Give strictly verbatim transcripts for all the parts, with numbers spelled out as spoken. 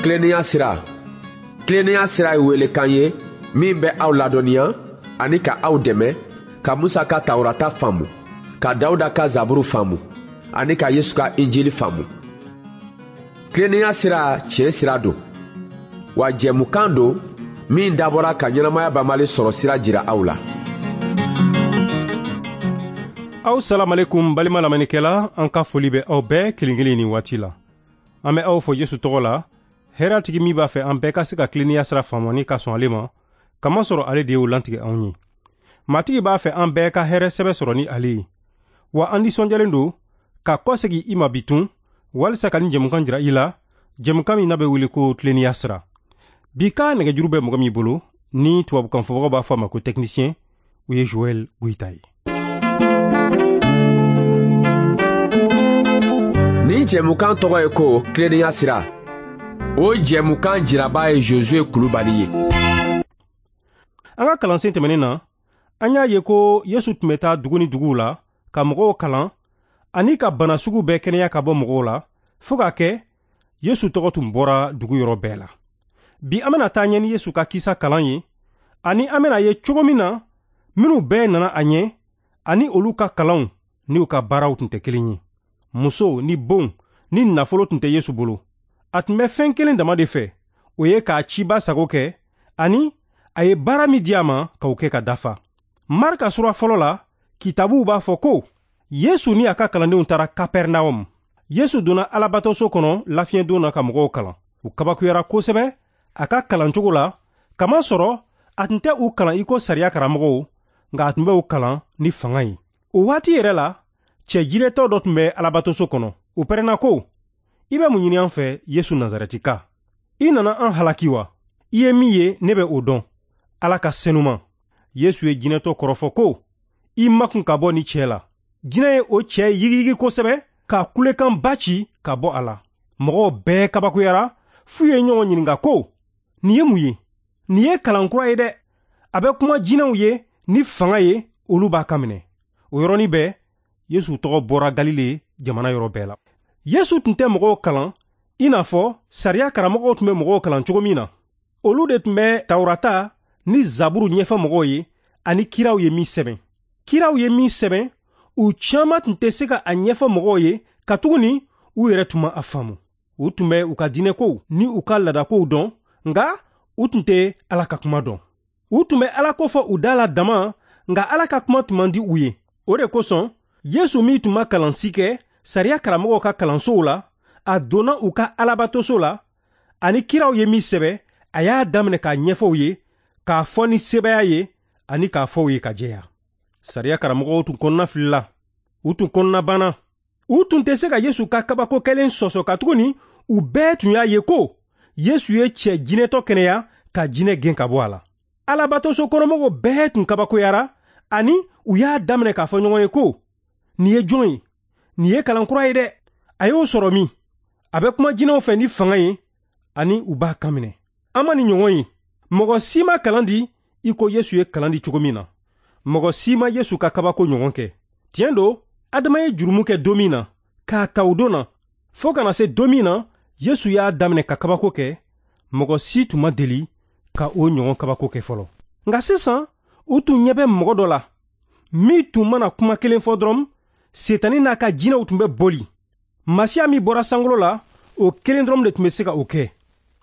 Tilennenya sira. Tilennenya sira ye welekan ye min bɛ aw ladɔnniya ani ka aw dɛmɛ ka Musa ka Tawurata faamu, ka Dawuda ka Zaburu faamu ani ka Yesu ka Injili faamu. Tilennenya sira tiɲɛ sira don, wa jɛmukan don min dabɔra ka ɲɛnamaya banbali sɔrɔ sira jira aw la. Aw salamalekum balima lamɛnnikɛla, an ka foli bɛ aw bɛɛ kelen kelen nin waati la. An bɛ aw fo Yesu tɔgɔ la, hɛrɛtigi min b'a fɛ an bɛɛ ka se ka tilennenya sira faamu ni ka sɔn ale ma, kamasɔrɔ ale de y'o lantigɛ anw ye. Matigi b'a fɛ an bɛɛ ka hɛrɛ sɛbɛ sɔrɔ ni ale ye. Wa an nisɔndiyalen don ka kɔsegin i ma bi tun, walisa ka nin jɛmukan jira i la, jɛmukan min n'a bɛ wele ko tilennenya sira. Bi ka nɛgɛjuru bɛ mɔgɔ min bolo, ni tubabukan fɔbagaw b'a fɔ a ma ko technicien, o ye Joël Goïta ye. Nin jɛmukan tɔgɔ ye ko tilennenya sira. O jɛmukan jiraba ye Josué Kulubali ye. An ka kalansen tɛmɛnen na, an y'a ye ko Yesu tun bɛ taa dugu ni duguw la ka mɔgɔw kalan ani ka bana sugu bɛɛ kɛnɛya ka bɔ mɔgɔw la, fo k'a kɛ Yesu tɔgɔ tun bɔra dugu yɔrɔ bɛɛ la. Bi an bɛna taa ɲɛ ni Yesu ka kisa kalan ye, ani an bɛna ye cogo min na minnu bɛɛ nana a ɲɛ ani olu ka kalanw ni u ka baaraw tun tɛ kelen ye. Muso ni bon ni nafolo tun tɛ Yesu bolo. A tun bɛ fɛn kelen dama de fɛ, o ye k'a ciba sago kɛ ani a ye baara min di a ma k'o kɛ ka dafa. Marka sura fɔlɔ la, kitabuw b'a fɔ ko Yesu ni a ka kalandenw taara Kapɛrnaum. Yesu donna Alabatoso kɔnɔ lafiɲɛdon na ka mɔgɔw kalan. U kabakuyara kosɛbɛ a ka kalancogo la, kamasɔrɔ a tun tɛ u kalan i ko sariya karamɔgɔw, nka a tun bɛ u kalan ni fanga ye. O waati yɛrɛ la, cɛ jiretɔ dɔ tun bɛ Alabatoso kɔnɔ. O pɛrɛnna ko, i bɛ mun ɲini an fɛ, Yesu Nazarɛtika? I nana an halaki wa? I ye min ye, ne bɛ o dɔn. Ala ka senuman. Yesu ye jinɛtɔ kɔrɔfɔ ko, i makun ka bɔ ni cɛ la. Jinɛ ye o cɛ yigiyigi kosɛbɛ ka kulekanba ci ka bɔ a la. Mɔgɔw bɛɛ kabakuyara, f'u ye ɲɔgɔn ɲininka ko, nin ye mun ye? Nin ye kalan kura ye dɛ. A bɛ kuma jinɛw ye ni fanga ye, olu b'a kan minɛ. O yɔrɔnin bɛɛ, Yesu tɔgɔ bɔra Galile jamana yɔrɔ bɛɛ la. Yesu tun tɛ mɔgɔw kalan i n'a fɔ sariya karamɔgɔw tun bɛ mɔgɔw kalan cogo min na. Olu de tun bɛ Tawurata ni Zaburu ɲɛfɔ mɔgɔw ye ani kiraw ye min sɛbɛn. Kiraw ye min sɛbɛn, u caman tun tɛ se ka a ɲɛfɔ mɔgɔw ye, katuguni u yɛrɛ tun ma a faamu. U tun bɛ u ka diinɛkow ni u ka laadakow dɔn, nka u tun tɛ Ala ka kuma dɔn. U tun bɛ Ala ko fɔ u da la dama, nka Ala ka kuma tun man di u ye. O de kosɔn, Yesu min tun ma kalan si kɛ sariya karamɔgɔw ka kalansow la, a donna u ka Alabatoso la, ani kiraw ye min sɛbɛn, a y'a daminɛ k'a ɲɛfɔ u ye, k'a fɔ ni sebaaya ye ani k'a fɔ u ye ka jɛya. Sariya karamɔgɔw tun kɔnɔna filila, u tun kɔnɔna banna. U tun tɛ se ka Yesu ka kabako kɛlen sɔsɔ, katuguni u bɛɛ tun y'a ye ko Yesu ye cɛ jinɛtɔ kɛnɛya ka jinɛ gɛn ka bɔ a la. Alabatoso kɔnɔmɔgɔw bɛɛ tun kabakoyara, ani u y'a daminɛ k'a fɔ ɲɔgɔn ye ko, nin ye jɔn ye? Nin ye kalan kura ye dɛ. A y'o sɔrɔ min? A bɛ kuma jinɛw fɛ ni fanga ye, ani u b'a kan minɛ. An ma nin ɲɔgɔn ye. Mɔgɔ si ma kalan di i ko Yesu ye kalan di cogo min na. Mɔgɔ si ma Yesu ka kabako ɲɔgɔn kɛ. Tiɲɛ don, Adama ye jurumu kɛ don min na, k'a ta o don na, fo ka na se don min na Yesu y'a daminɛ ka kabako kɛ, mɔgɔ si tun ma deli ka o ɲɔgɔn kabako kɛ fɔlɔ. Nka sisan, u tun ɲɛ bɛ mɔgɔ dɔ la, min tun mana kuma kelen fɔ dɔrɔn, Setani n'a ka jinɛw tun bɛ boli. Masiya min bɔra sankolo la, o kelen dɔrɔn de tun bɛ se ka o kɛ.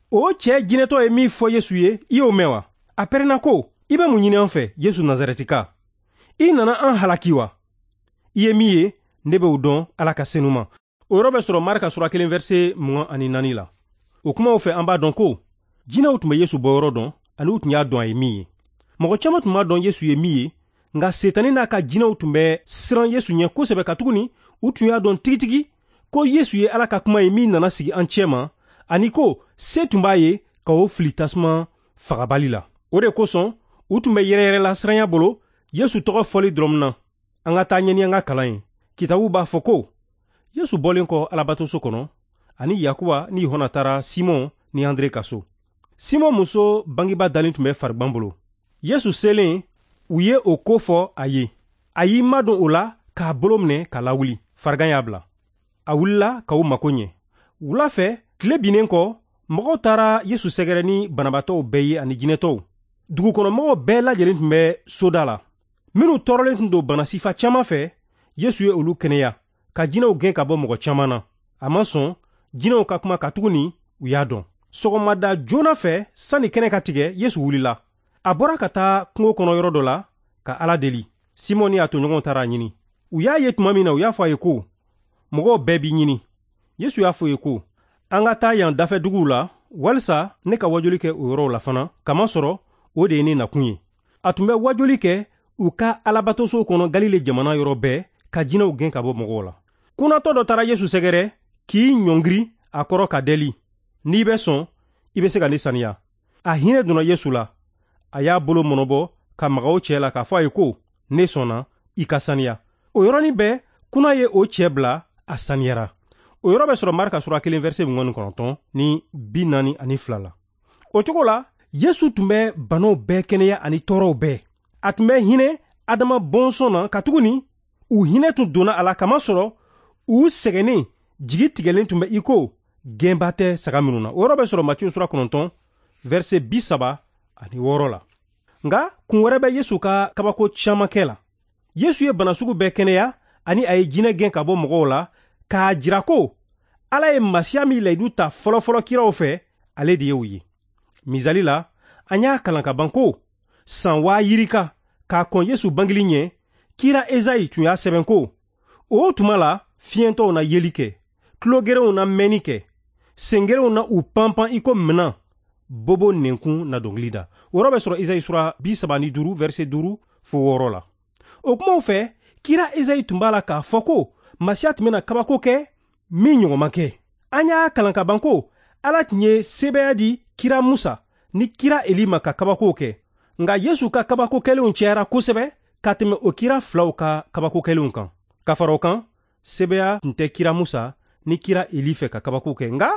O cɛ jinɛtɔ ye min fɔ Yesu ye, i y'o mɛn wa? A pɛrɛnna ko, i bɛ mun ɲini an fɛ, Yesu Nazarɛtika? I nana an halaki wa? I ye min ye, ne bɛ o dɔn, Ala ka senuman. O yɔrɔ bɛ sɔrɔ Marka sura kelen verset mugan ani naani la. O kumaw fɛ, an b'a dɔn ko jinɛw tun bɛ Yesu bɔyɔrɔ dɔn, ani u tun y'a dɔn a ye min ye. Mɔgɔ caman tun b'a dɔn Yesu ye min ye, nka Setani n'a ka jinɛw tun bɛ siran Yesu ɲɛ kosɛbɛ, katuguni u tun y'a dɔn tigitigi ko Yesu ye Ala ka kuma ye min nana sigi an cɛma, ani ko se tun b'a ye ka o fili tasuma fagabali la. O de kosɔn, u tun bɛ yɛrɛyɛrɛ la siranya bolo Yesu tɔgɔ fɔli dɔrɔn na. An ka taa ɲɛ ni an ka kalan ye. Kitabu b'a fɔ ko Yesu bɔlen kɔ Alabatoso kɔnɔ, ani Yakuba ni Yohana taara Simɔn ni Andre ka so. Simɔn muso bangebaa dalen tun bɛ farigan bolo. Yesu selen, u ye o ko fɔ a ye. A y'i madon o la k'a bolo minɛ ka lawuli. Farigan y'a bila. A wulila ka u mako ɲɛ. Wula fɛ, tile binnen kɔ, mɔgɔw taara Yesu sɛgɛrɛ ni banabaatɔw bɛɛ ye ani jinɛtɔw. Dugukɔnɔmɔgɔw bɛɛ lajɛlen tun bɛ soda la. Minnu tɔɔrɔlen tun don bana sifa caman fɛ, Yesu ye olu kɛnɛya, ka jinɛw gɛn ka bɔ mɔgɔ caman na. A ma sɔn jinɛw ka kuma katuguni u y'a dɔn. Sɔgɔmada joona fɛ, sanni kɛnɛ ka tigɛ, Yesu wulila. A bɔra ka taa kungo kɔnɔ yɔrɔ dɔ la ka Ala deli. Simɔn ni a tɔɲɔgɔnw taara a ɲini. U y'a ye tuma min na, u y'a fɔ a ye ko, mɔgɔw bɛɛ b'i ɲini. Yesu y'a fɔ u ye ko, an ka taa yan dafɛ duguw la, walisa ne ka wajuli kɛ o yɔrɔw la fana, kamasɔrɔ o de ye ne nakun ye. A tun bɛ wajuli kɛ u ka alabatosow kɔnɔ Galile jamana yɔrɔ bɛɛ, ka jinɛw gɛn ka bɔ mɔgɔw la. Kunatɔ dɔ taara Yesu sɛgɛrɛ k'i ɲɔngiri a kɔrɔ ka deli. N'i bɛ sɔn, i bɛ se ka ne saniya. A hinɛ donna Yesu la. A y'a bolo mɔnɔbɔ ka maga o cɛ la k'a fɔ a ye ko, ne sɔnna, i ka saniya. O yɔrɔnin bɛɛ, kuna ye o cɛ bila, a saniyara. O yɔrɔ bɛ sɔrɔ Marka sura kelen verset mugan ni kɔnɔntɔn ni bi naani ani fila la. O cogo la, Yesu tun bɛ banaw bɛɛ kɛnɛya ani tɔɔrɔw bɛɛ. A tun bɛ hinɛ Adama bɔnsɔn na katuguni u hinɛ tun donna a la kamasɔrɔ u sɛgɛnnen jigi tigɛlen tun bɛ i ko gɛnba tɛ saga minnu na. O yɔrɔ bɛ sɔrɔ Matiyu sura kɔnɔntɔn verset bi saba ani wɔɔrɔ la. Nka kun wɛrɛ bɛ Yesu ka kabako caman kɛ la. Yesu ye bana sugu bɛɛ kɛnɛya ani a ye jinɛ gɛn ka bɔ mɔgɔw la k'a jira ko Ala ye Masiya min layidu ta fɔlɔfɔlɔ kiraw fɛ, ale de ye o ye. Misali la, an y'a kalan ka ban ko san waa yirika k'a kɔn Yesu bangeli ɲɛ, kira Ezayi tun y'a sɛbɛn ko, o tuma la fiɲɛtɔw na yeli kɛ, tulogerenw na mɛnni kɛ, sengerenw na u panpan i ko minan, bobo nɛnkun na dɔnkili da. O yɔrɔ bɛ sɔrɔ Ezayi sura bi saba ni duuru verset duuru fo wɔɔrɔ la. O kumaw fɛ, kira Ezayi tun b'a la k'a fɔ ko Masiya tun bɛna kabako kɛ min ɲɔgɔn ma kɛ. An y'a kalan ka ban ko Ala tun ye sebaaya di kira Musa ni kira Eli ma ka kabakow kɛ. Nka Yesu ka kabako kɛlenw cayara kosɛbɛ ka tɛmɛ o kira filaw ka kabako kɛlenw kan. Ka fara o kan, sebaaya tun tɛ kira Musa ni kira Eli fɛ ka kabako kɛ. Nka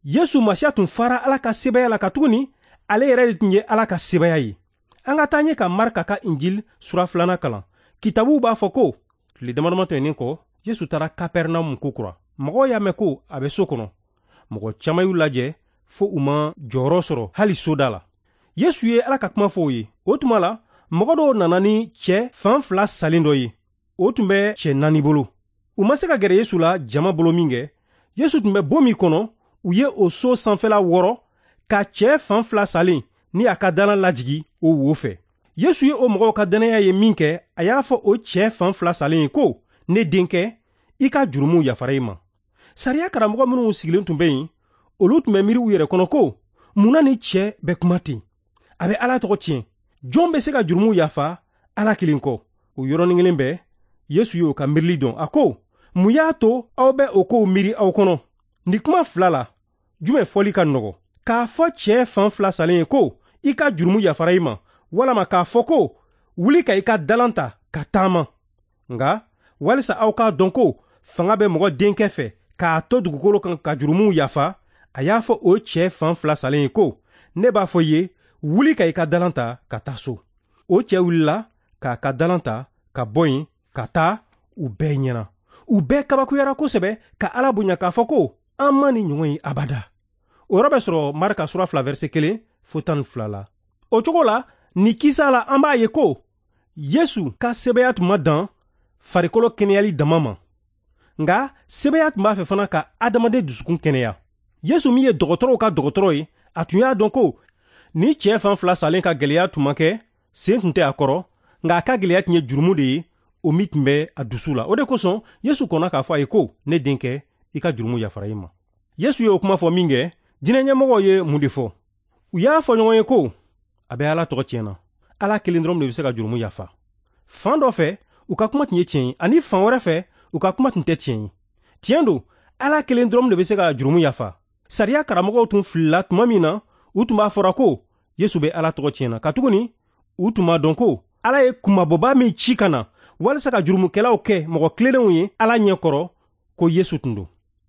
Yesu Masiya tun fara Ala ka sebaaya la katuguni ale yɛrɛ de tun ye Ala ka sebaaya ye. An ka taa ɲɛ ka Marka ka Injil sura filanan kalan. Kitabuw b'a fɔ ko tile damadama tɛmɛnen kɔ, Yesu taara Kapɛrɛnamu kokura. Mɔgɔw y'a mɛn ko a bɛ so kɔnɔ. Mɔgɔ caman y'u lajɛ fo u ma jɔyɔrɔ sɔrɔ hali soda la. Yesu ye Ala ka kuma fɔ u ye. O tuma la, mɔgɔ dɔw nana ni cɛ fan fila salen dɔ ye. O tun bɛ cɛ naani bolo. U ma se ka gɛrɛ Yesu la jama bolo min kɛ, Yesu tun bɛ bon min kɔnɔ, u ye o so sanfɛla wɔrɔ ka cɛ fan fila salen ni a ka dalan lajigi o wo fɛ. Yesu ye o mɔgɔw ka dannaya ye min kɛ, a y'a fɔ o cɛ fan fila salen ye ko, ne denkɛ, i ka jurumuw yafara i ma. Sariya karamɔgɔ minnu sigilen tun bɛ yen, olu tun bɛ miiri u yɛrɛ kɔnɔ ko, mun na ni cɛ bɛ kuma ten? A bɛ Ala tɔgɔ tiɲɛ. Jɔn bɛ se ka jurumuw yafa Ala kelen kɔ? O yɔrɔnin kelen bɛɛ, Yesu y'o ka miirili dɔn. A ko, mun y'a to aw bɛ o kow miiri aw kɔnɔ? Nin kuma fila la, jumɛn fɔli ka nɔgɔ? K'a fɔ cɛ fan fila salen ye ko, i ka jurumu yafara i ma, walama k'a fɔ ko, wuli ka i ka dalan ta ka taama. Nka walisa aw k'a dɔn ko fanga bɛ mɔgɔ denkɛ fɛ k'a to dugukolo kan ka jurumuw yafa, a y'a fɔ o cɛ fan fila salen ye ko, ne b'a fɔ i ye, wuli ka i ka dalan ta ka taa so. O cɛ wulila k'a ka dalan ta ka bɔ yen ka taa u bɛɛ ɲɛna. U bɛɛ kabakuyara kosɛbɛ ka Ala bonya k'a fɔ ko, an ma ni ɲɔgɔn ye abada. O yɔrɔ bɛ sɔrɔ Marka sura fila verset kelen fo tan ni fila la. O cogo la, nin kisa la, an b'a ye ko Yesu ka sebaaya tun ma dan farikolo kɛnɛyali dama ma. Nka sebaaya tun b'a fɛ fana ka adamaden dusukun kɛnɛya. Yesu min ye dɔgɔtɔrɔw ka dɔgɔtɔrɔ ye, a tun y'a dɔn ko ni cɛ fan fila salen ka gɛlɛya tun ma kɛ, sen tun tɛ a kɔrɔ, nka a ka gɛlɛya tun ye jurumu de ye, o min tun bɛ a dusu la. O de kosɔn Yesu kɔnna k'a fɔ a ye ko, ne denkɛ, i ka jurumu yafara i ma. Yesu ye o kuma fɔ min kɛ, jinɛ ɲɛmɔgɔw ye mun de fɔ? U y'a fɔ ɲɔgɔn ye ko, a bɛ Ala tɔgɔ tiɲɛ na. Ala kelen dɔrɔn de bɛ se ka jurumu yafa. Fan dɔ fɛ, u ka kuma tun ye tiɲɛ ye, ani fan wɛrɛ fɛ, u ka kuma tun tɛ tiɲɛ ye. Tiɲɛ don, Ala kelen dɔrɔn de bɛ se ka jurumu yafa. Sariya karamɔgɔw tun filila tuma min na, u tun b'a fɔra ko Yesu bɛ Ala tɔgɔ tiɲɛ na, katuguni u tun b'a dɔn ko Ala ye kunmabɔba min ci ka na walisa ka jurumukɛlaw kɛ mɔgɔ tilennenw ye Ala ɲɛ kɔrɔ, ko Yesu tun don.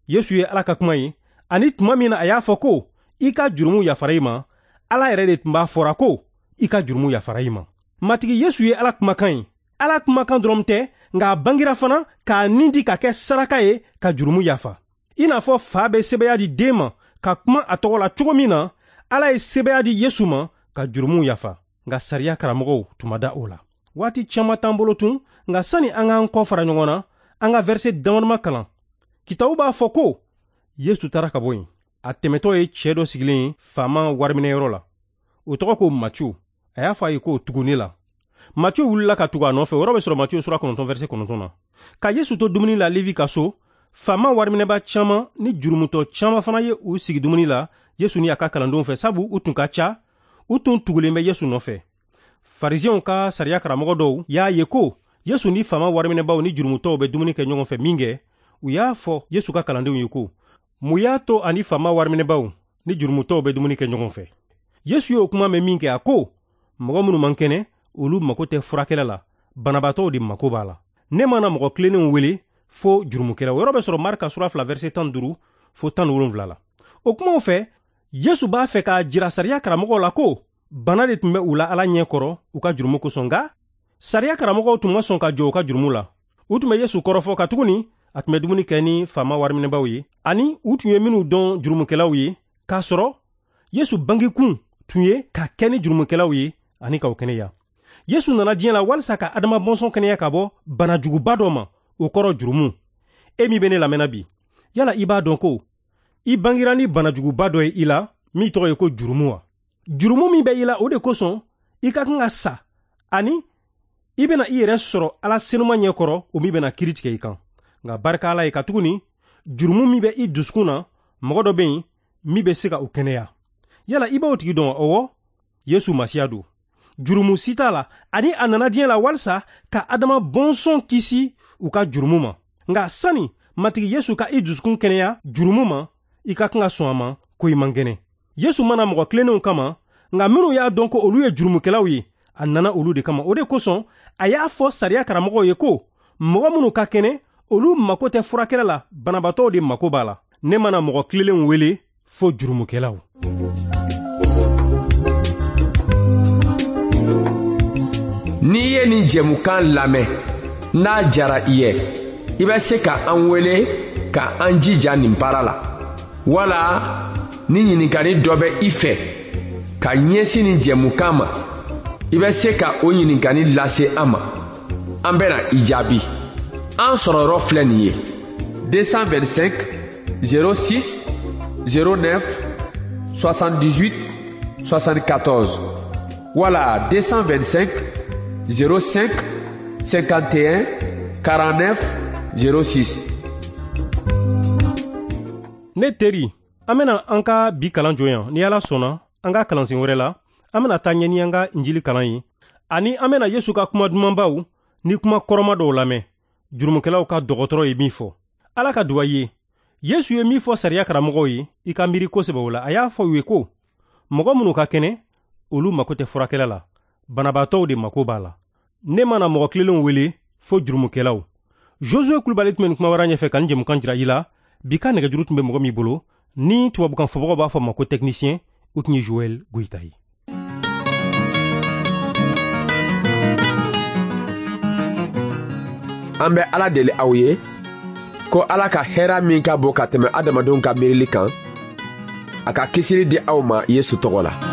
Yesu ye Ala ka kuma ye, ani tuma min na a y'a fɔ ko i ka jurumu yafara i ma, Ala yɛrɛ de tun b'a fɔra ko i ka jurumu yafara i ma. Matigi Yesu ye Ala kumakan ye. Ala kumakan dɔrɔn tɛ, nka a bangira fana k'a nin di ka kɛ saraka ye ka jurumu yafa. I n'a fɔ fa bɛ sebaaya di den ma ka kuma a tɔgɔ la cogo min na, Ala ye sebaaya di Yesu ma ka jurumuw yafa. Nka sariya karamɔgɔw tun ma da o la. Waati caman t'an bolo tun, nka sani an k'an kɔ fara ɲɔgɔn na, an ka verset damadama kalan. Kitabu b'a fɔ ko Yesu taara ka bɔ yen. A tɛmɛtɔ ye cɛ dɔ sigilen ye faama wariminɛyɔrɔ la. O tɔgɔ ko Matiyu. A y'a fɔ a ye k'o tugu ne la. Matiyu wulila ka tugu a nɔfɛ. O yɔrɔ bɛ sɔrɔ Matiyu sura kɔnɔntɔn verset kɔnɔntɔn na. Ka Yesu to dumuni la Levi ka so, faama wariminɛba caman ni jurumutɔ caman fana ye u sigi dumuni la Yesu ni a ka kalandenw fɛ, sabu u tun ka ca, u tun tugulen bɛ Yesu nɔfɛ. Farisɛnw ka sariya karamɔgɔ dɔw y'a ye ko Yesu ni faama wariminɛbaw ni jurumutɔw bɛ dumuni kɛ ɲɔgɔn fɛ minkɛ, u y'a fɔ Yesu ka kalandenw ye ko, mun y'a to ani faama wariminɛbaw ni jurumutɔw bɛ dumuni kɛ ɲɔgɔn fɛ? Yesu y'o kuma mɛn minkɛ, a ko, mɔgɔ minnu man kɛnɛ, olu mako tɛ furakɛla la, banabaatɔw de mako b'a la. Ne mana mɔgɔ tilennenw wele fo jurumukɛlaw. O yɔrɔ bɛ sɔrɔ Marka sura fila verset tan duuru fo tan ni wolonwula la. O kumaw fɛ, Yesu b'a fɛ k'a jira sariya karamɔgɔw la ko bana de tun bɛ u la Ala ɲɛ kɔrɔ u ka jurumu kosɔn, nka sariya karamɔgɔw tun ma sɔn ka jɔ u ka jurumu la. U tun bɛ Yesu kɔrɔfɔ katuguni a tun bɛ dumuni kɛ ni faama wariminɛbaw ye, ani u tun ye minnu dɔn jurumukɛlaw ye, k'a sɔrɔ Yesu bangekun tun ye ka kɛ ni jurumukɛlaw ye ani k'u kɛnɛya. Yesu nana diɲɛ la walisa ka Adama bɔnsɔn kɛnɛya ka bɔ banajuguba dɔ ma, o kɔrɔ jurumu. E min bɛ ne lamɛnna bi, yala i b'a dɔn ko i bangira ni banajuguba dɔ ye i la min tɔgɔ ye ko jurumu wa? Jurumu min bɛ i la, o de kosɔn i ka kan ka sa, ani i bɛna i yɛrɛ sɔrɔ Ala senuma ɲɛkɔrɔ, o min bɛna kiiri tigɛ i kan. Nka barika Ala ye, katuguni jurumu min bɛ i dusukun na, mɔgɔ dɔ bɛ yen min bɛ se ka o kɛnɛya. Yala i b'o tigi dɔn? Ɔwɔ, Yesu Masiya don. Jurumu si t'a la, ani a nana diɲɛ la walisa ka Adama bɔnsɔn kisi u ka jurumu ma. Nka sani Matigi Yesu ka i dusukun kɛnɛya jurumu ma, i ka kan ka sɔn a ma ko i man kɛnɛ. Yesu mana mɔgɔ tilennenw kama, nka minnu y'a dɔn ko olu ye jurumukɛlaw ye, a nana olu de kama. O de kosɔn a y'a fɔ sariya karamɔgɔw ye ko mɔgɔ minnu ka kɛnɛ, olu mako tɛ furakɛla la, banabaatɔw de mako b'a la. Ne mana mɔgɔ tilennenw wele fo jurumukɛlaw. N'i ye nin jɛmukan lamɛn, n'a jara i ye, i bɛ se ka an wele ka an jija nin baara la. Wala ni ɲininkali dɔ bɛ i fɛ ka ɲɛsin nin jɛmukan ma, i bɛ se ka o ɲininkali lase an ma. An bɛna i jaabi. An sɔrɔyɔrɔ filɛ nin ye: deux cent vingt-cinq zéro six zéro neuf soixante-dix-huit soixante-quatorze wala deux cent vingt-cinq zéro cinq cinquante et un quarante-neuf zéro six. Ne teri, an bɛna an ka bi kalan jɔ yan. Ni Ala sɔnna, an ka kalansen wɛrɛ la, an bɛna taa ɲɛ ni an ka injili kalan ye, ani an bɛna Yesu ka kuma dumanbaw ni kuma kɔrɔma dɔw lamɛn, jurumukɛlaw ka dɔgɔtɔrɔ ye min fɔ. Ala ka duwa ye. Yesu ye min fɔ sariya karamɔgɔw ye, i ka miiri kosɛbɛ o la. A y'a fɔ u ye ko mɔgɔ minnu ka kɛnɛ, olu mako tɛ furakɛla la, banabaatɔw de mako b'a la. Ne mana mɔgɔ tilenlenw wele fo jurumukɛlaw. Josue Kulubali tun bɛ nin kuma wɛrɛ ɲɛfɛ ka nin jɛmukan jira i la. Bi ka nɛgɛjuru tun bɛ mɔgɔ min bolo, ni tubabukan fɔbagaw b'a fɔ ma ko technicien, o tun ye Joël Goyita ye. An bɛ Ala deli aw ye ko Ala ka hɛrɛ min ka bon ka tɛmɛ adamadenw ka miirili kan, a ka kisili di aw ma Yesu tɔgɔ la.